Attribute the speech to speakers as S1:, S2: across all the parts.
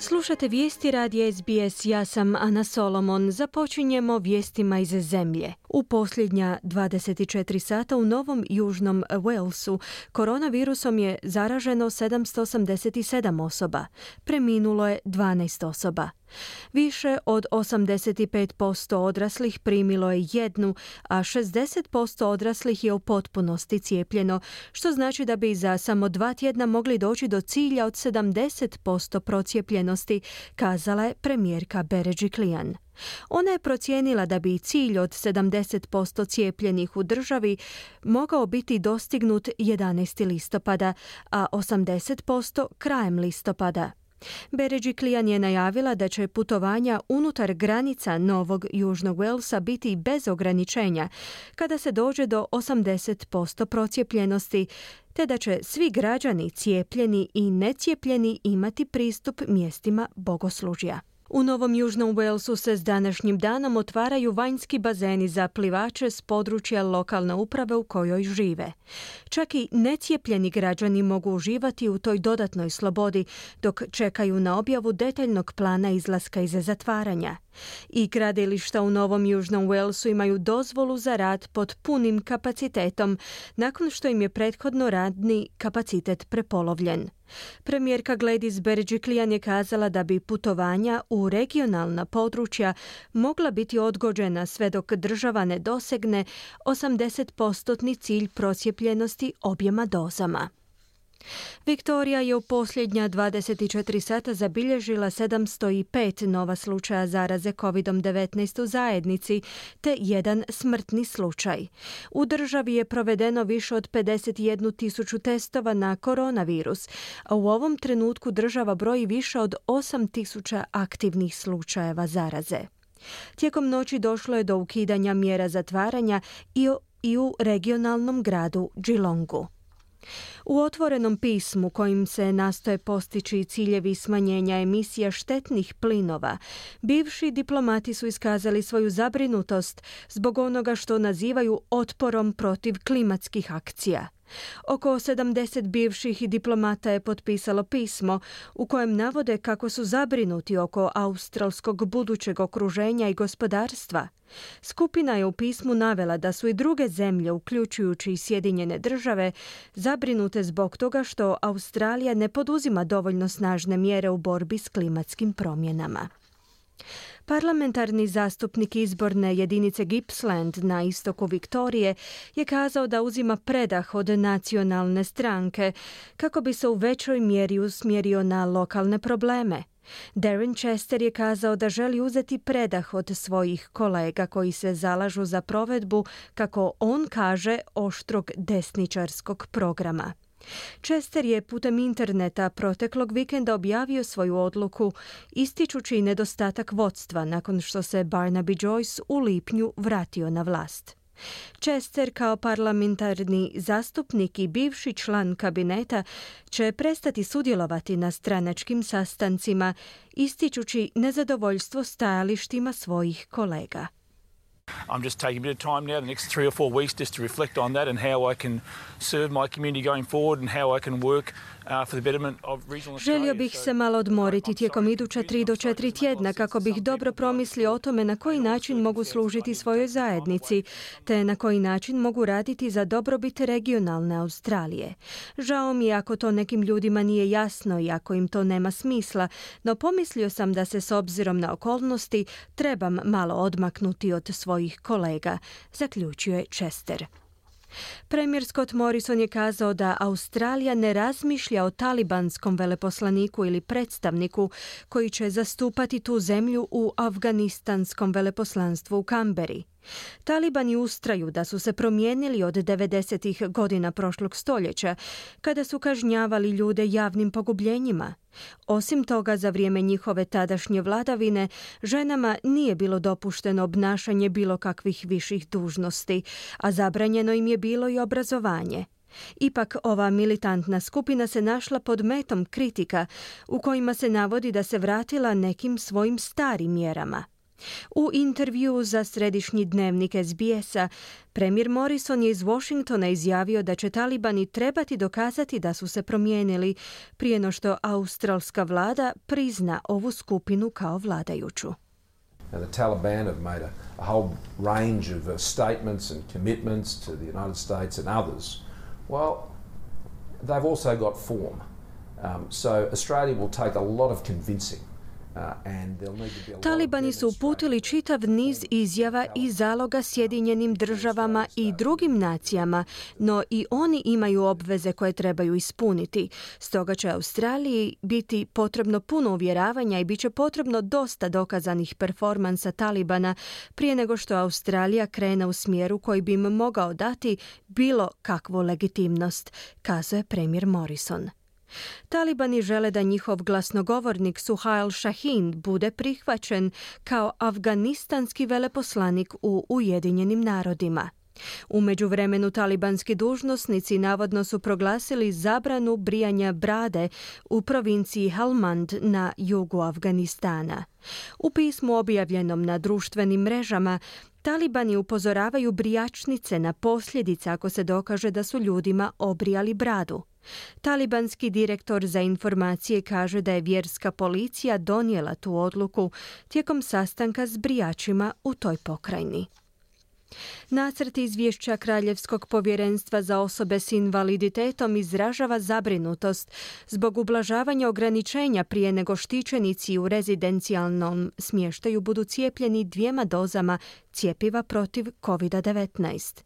S1: Slušate vijesti radija SBS, ja sam Ana Solomon. Započinjemo vijestima iz zemlje. U posljednja 24 sata u Novom Južnom Walesu koronavirusom je zaraženo 787 osoba. Preminulo je 12 osoba. Više od 85% odraslih primilo je jednu, a 60% odraslih je u potpunosti cijepljeno, što znači da bi za samo 2 tjedna mogli doći do cilja od 70% procijepljenosti, kazala je premijerka Berejiklian. Ona je procijenila da bi cilj od 70% cijepljenih u državi mogao biti dostignut 11. listopada, a 80% krajem listopada. Berejiklian je najavila da će putovanja unutar granica Novog Južnog Walesa biti bez ograničenja kada se dođe do 80% procijepljenosti, te da će svi građani cijepljeni i necijepljeni imati pristup mjestima bogoslužja. U Novom Južnom Walesu se s današnjim danom otvaraju vanjski bazeni za plivače s područja lokalne uprave u kojoj žive. Čak i necijepljeni građani mogu uživati u toj dodatnoj slobodi dok čekaju na objavu detaljnog plana izlaska iz zatvaranja. I gradilišta u Novom Južnom Walesu imaju dozvolu za rad pod punim kapacitetom, nakon što im je prethodno radni kapacitet prepolovljen. Premijerka Gladys Berejiklian je kazala da bi putovanja u regionalna područja mogla biti odgođena sve dok država ne dosegne 80% cilj procijepljenosti objema dozama. Viktorija je u posljednja 24 sata zabilježila 705 nova slučaja zaraze COVID-19 u zajednici, te jedan smrtni slučaj. U državi je provedeno više od 51.000 testova na koronavirus, a u ovom trenutku država broji više od 8.000 aktivnih slučajeva zaraze. Tijekom noći došlo je do ukidanja mjera zatvaranja i u regionalnom gradu Geelongu. U otvorenom pismu kojim se nastoje postići ciljevi smanjenja emisija štetnih plinova, bivši diplomati su iskazali svoju zabrinutost zbog onoga što nazivaju otporom protiv klimatskih akcija. Oko 70 bivših diplomata je potpisalo pismo u kojem navode kako su zabrinuti oko australskog budućeg okruženja i gospodarstva. Skupina je u pismu navela da su i druge zemlje, uključujući i Sjedinjene države, zabrinute zbog toga što Australija ne poduzima dovoljno snažne mjere u borbi s klimatskim promjenama. Parlamentarni zastupnik izborne jedinice Gippsland na istoku Viktorije je kazao da uzima predah od nacionalne stranke kako bi se u većoj mjeri usmjerio na lokalne probleme. Darren Chester je kazao da želi uzeti predah od svojih kolega koji se zalažu za provedbu, kako on kaže, oštrog desničarskog programa. Chester je putem interneta proteklog vikenda objavio svoju odluku, ističući nedostatak vodstva nakon što se Barnaby Joyce u lipnju vratio na vlast. Chester kao parlamentarni zastupnik i bivši član kabineta će prestati sudjelovati na stranačkim sastancima, ističući nezadovoljstvo stajalištima svojih kolega.
S2: I'm just taking a bit of time now, the next 3 or 4 weeks, just to reflect on that and how I can serve my community going forward and how I can work for the betterment of regional Australia.
S1: Želio bih se malo odmoriti tijekom iduća 3 do 4 tjedna kako bih dobro promislio o tome na koji način mogu služiti svojoj zajednici, te na koji način mogu raditi za dobrobit regionalne Australije. Žao mi je ako to nekim ljudima nije jasno i ako im to nema smisla, no pomislio sam da se s obzirom na okolnosti trebam malo odmaknuti od svojih kolega, zaključio je Chester. Premijer Scott Morrison je kazao da Australija ne razmišlja o talibanskom veleposlaniku ili predstavniku koji će zastupati tu zemlju u afganistanskom veleposlanstvu u Kamberi. Talibani ustraju da su se promijenili od 90-ih godina prošlog stoljeća, kada su kažnjavali ljude javnim pogubljenjima. Osim toga, za vrijeme njihove tadašnje vladavine, ženama nije bilo dopušteno obnašanje bilo kakvih viših dužnosti, a zabranjeno im je bilo i obrazovanje. Ipak, ova militantna skupina se našla pod metom kritika u kojima se navodi da se vratila nekim svojim starim mjerama. U intervjuu za središnji dnevnik SBS-a, premijer Morrison je iz Washingtona izjavio da će talibani trebati dokazati da su se promijenili prije no što australska vlada prizna ovu skupinu kao vladajuću.
S3: Now, the Taliban have made a whole range of statements and commitments to the United States and others. Well, they've also got form. So Australia will take a lot of convincing.
S1: Talibani su uputili čitav niz izjava i zaloga Sjedinjenim državama i drugim nacijama, no i oni imaju obveze koje trebaju ispuniti. Stoga će Australiji biti potrebno puno uvjeravanja i bit će potrebno dosta dokazanih performansa Talibana prije nego što Australija krene u smjeru koji bi im mogao dati bilo kakvu legitimnost, kazuje premijer Morrison. Talibani žele da njihov glasnogovornik Suhail Shaheen bude prihvaćen kao afganistanski veleposlanik u Ujedinjenim narodima. U međuvremenu talibanski dužnosnici navodno su proglasili zabranu brijanja brade u provinciji Helmand na jugu Afganistana. U pismu objavljenom na društvenim mrežama Talibani upozoravaju brijačnice na posljedice ako se dokaže da su ljudima obrijali bradu. Talibanski direktor za informacije kaže da je vjerska policija donijela tu odluku tijekom sastanka s brijačima u toj pokrajini. Nacrt izvješća Kraljevskog povjerenstva za osobe s invaliditetom izražava zabrinutost zbog ublažavanja ograničenja prije nego štićenici u rezidencijalnom smještaju budu cijepljeni 2 dozama cjepiva protiv COVID-19.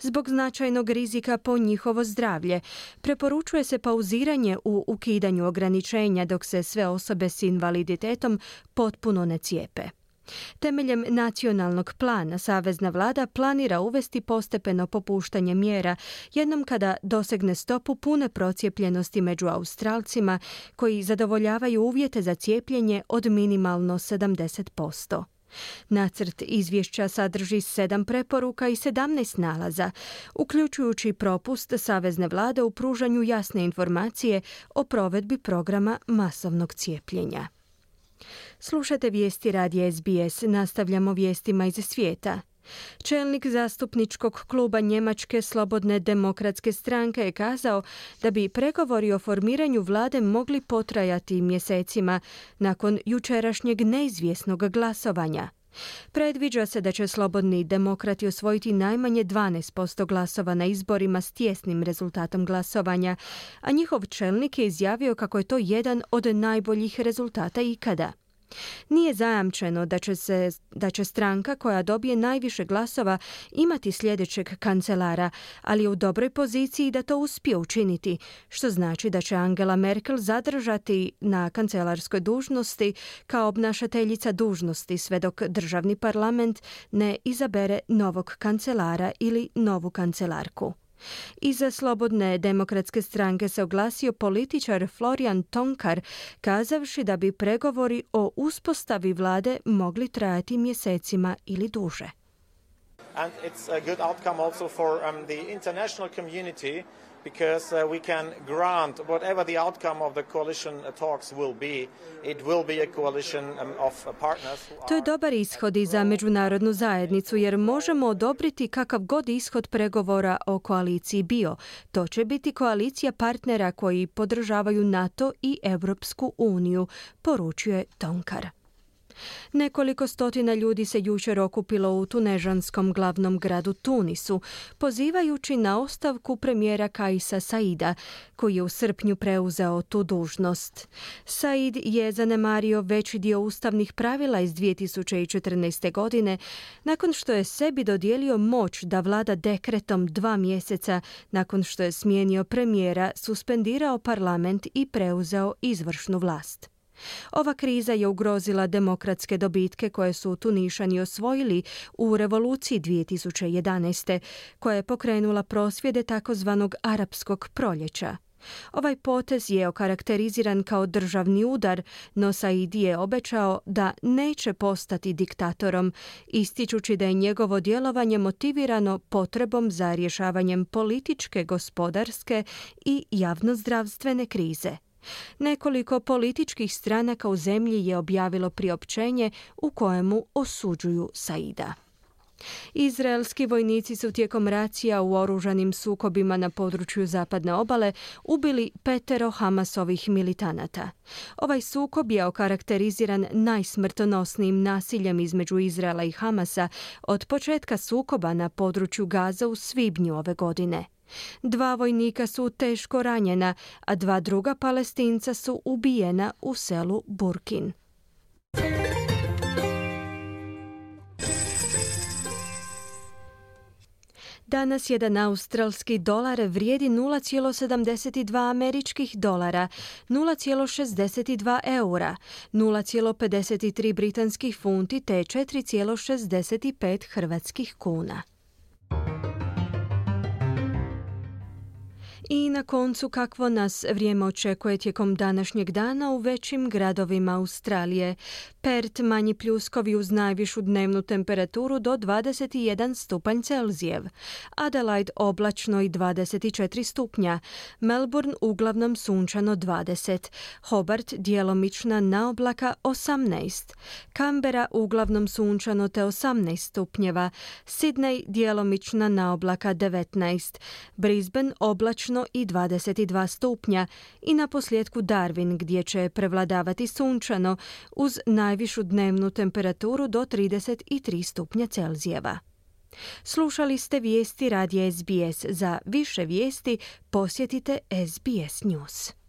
S1: Zbog značajnog rizika po njihovo zdravlje, preporučuje se pauziranje u ukidanju ograničenja dok se sve osobe s invaliditetom potpuno ne cijepe. Temeljem nacionalnog plana, savezna vlada planira uvesti postepeno popuštanje mjera jednom kada dosegne stopu pune procijepljenosti među Australcima koji zadovoljavaju uvjete za cijepljenje od minimalno 70%. Nacrt izvješća sadrži 7 preporuka i 17 nalaza, uključujući propust savezne vlade u pružanju jasne informacije o provedbi programa masovnog cijepljenja. Slušate vijesti radija SBS, nastavljamo vijestima iz svijeta. Čelnik zastupničkog kluba Njemačke slobodne demokratske stranke je kazao da bi pregovori o formiranju vlade mogli potrajati mjesecima nakon jučerašnjeg neizvjesnog glasovanja. Predviđa se da će slobodni demokrati osvojiti najmanje 12% glasova na izborima s tijesnim rezultatom glasovanja, a njihov čelnik je izjavio kako je to jedan od najboljih rezultata ikada. Nije zajamčeno da će stranka koja dobije najviše glasova imati sljedećeg kancelara, ali je u dobroj poziciji da to uspije učiniti, što znači da će Angela Merkel zadržati na kancelarskoj dužnosti kao obnašateljica dužnosti sve dok državni parlament ne izabere novog kancelara ili novu kancelarku. Iza Slobodne demokratske stranke se oglasio političar Florian Tonkar, kazavši da bi pregovori o uspostavi vlade mogli trajati mjesecima ili duže.
S4: And it's a good outcome also for the international community because we can grant whatever the outcome of the coalition talks will be, it will be a coalition of partners.
S1: To je dobar ishod i za međunarodnu zajednicu jer možemo odobriti kakav god ishod pregovora o koaliciji bio. To će biti koalicija partnera koji podržavaju NATO i Europsku uniju, poručuje Tonkar. Nekoliko stotina ljudi se jučer okupilo u tunežanskom glavnom gradu Tunisu, pozivajući na ostavku premijera Kaisa Saida, koji je u srpnju preuzeo tu dužnost. Said je zanemario veći dio ustavnih pravila iz 2014. godine, nakon što je sebi dodijelio moć da vlada dekretom 2 mjeseca nakon što je smijenio premijera, suspendirao parlament i preuzeo izvršnu vlast. Ova kriza je ugrozila demokratske dobitke koje su Tunišani osvojili u revoluciji 2011. koja je pokrenula prosvjede takozvanog arapskog proljeća. Ovaj potez je okarakteriziran kao državni udar, no Said je obećao da neće postati diktatorom, ističući da je njegovo djelovanje motivirano potrebom za rješavanjem političke, gospodarske i javnozdravstvene krize. Nekoliko političkih stranaka u zemlji je objavilo priopćenje u kojemu osuđuju Saida. Izraelski vojnici su tijekom racija u oružanim sukobima na području zapadne obale ubili 5 Hamasovih militanata. Ovaj sukob je okarakteriziran najsmrtonosnijim nasiljem između Izraela i Hamasa od početka sukoba na području Gaza u svibnju ove godine. 2 vojnika su teško ranjena, a 2 druga Palestinca su ubijena u selu Burkin. Danas jedan australski dolar vrijedi 0,72 američkih dolara, 0,62 eura, 0,53 britanskih funti te 4,65 hrvatskih kuna. I na koncu kakvo nas vrijeme očekuje tijekom današnjeg dana u većim gradovima Australije. Perth manji pljuskovi uz najvišu dnevnu temperaturu do 21 stupanj Celzijev. Adelaide oblačno i 24 stupnja. Melbourne uglavnom sunčano 20. Hobart djelomična naoblaka 18. Canberra uglavnom sunčano te 18 stupnjeva. Sydney djelomična naoblaka 19. Brisbane oblačno i 22 stupnja i na posljedku Darwin gdje će prevladavati sunčano uz najvišu dnevnu temperaturu do 33 stupnja Celzijeva. Slušali ste vijesti radija SBS. Za više vijesti posjetite SBS News.